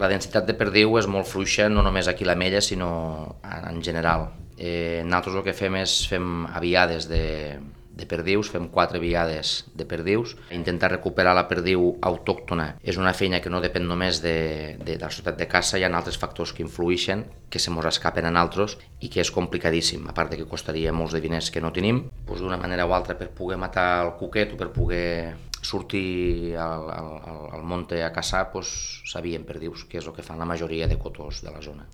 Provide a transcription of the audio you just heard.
La densitat de perdiu és molt fluixa, no només aquí a l'Ametlla, sinó en general. Nosaltres el que fem aviades de perdius, fem 4 viades de perdius. Intentar recuperar la perdiu autòctona és una feina que no depèn només de la societat de caça, hi ha altres factors que influeixen, que se mos escapen a nosaltres i que és complicadíssim, a part de que costaria molts de diners que no tenim. D'una manera o altra, per poder matar el cuquet o per poder sortir al monte a caçar, s'havien perdius, que és el que fan la majoria de cotors de la zona.